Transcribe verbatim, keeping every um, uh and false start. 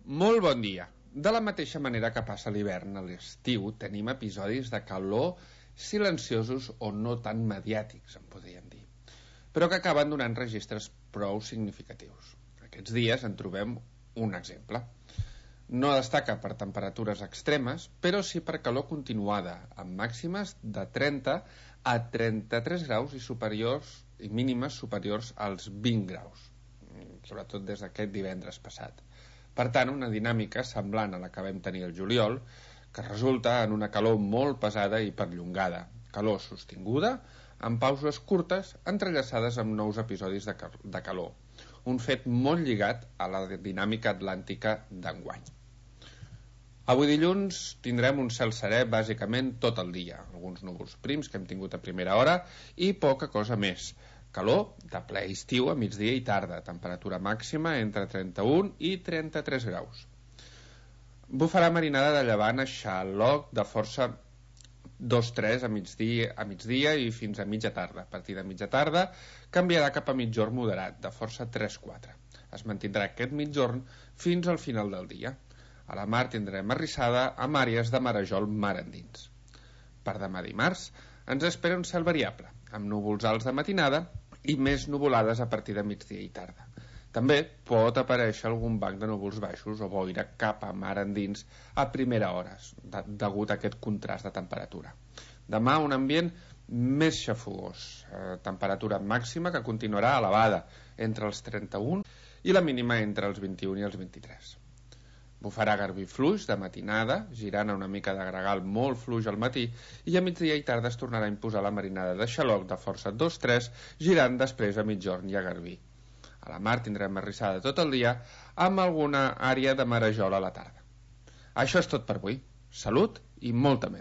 Molt bon dia. De la mateixa manera que passa l'hivern a l'estiu, tenim episodis de calor silenciosos o no tan mediàtics, en podríem dir, però que acaben donant registres prou significatius. Aquests dies en trobem un exemple. No destaca per temperatures extremes, però sí per calor continuada, amb màximes de trenta a trenta-tres graus i superiors i mínimes superiors als vint graus, sobretot des d'aquest divendres passat. Per tant, una dinàmica semblant a la que vam tenir el juliol, que resulta en una calor molt pesada i perllongada, calor sostinguda, amb pauses curtes entrellaçades amb nous episodis de, cal de calor, un fet molt lligat a la dinàmica atlàntica d'enguany. Avui dilluns tindrem un cel serè bàsicament tot el dia, alguns núvols prims que hem tingut a primera hora i poca cosa més. Calor de ple estiu a migdia i tarda, temperatura màxima entre trenta-un i trenta-tres graus. Bufarà marinada de llevant a xaloc de força dos tres a migdia, a migdia i fins a mitja tarda. A partir de mitja tarda canviarà cap a migjorn moderat, de força tres quatre. Es mantindrà aquest migjorn fins al final del dia. A la mar tindrem arrissada amb àrees de marejol mar endins. Per demà dimarts ens espera un cel variable, amb núvols alts de matinada i més nuvolades a partir de migdia i tarda. També pot aparèixer algun banc de núvols baixos o boira cap a mar endins a primera hora, de, degut a aquest contrast de temperatura. Demà un ambient més xafogós, eh, temperatura màxima que continuarà elevada entre els trenta-un i la mínima entre els vint-i-un i els vint-i-tres. Bufarà garbí fluix de matinada, girant a una mica de gregal molt fluix al matí, i a migdia i tarda es tornarà a imposar la marinada de xaloc de força dos tres, girant després a migjorn i a garbí. A la mar tindrem arrissada tot el dia, amb alguna àrea de marejol a la tarda. Això és tot per avui. Salut i molta més.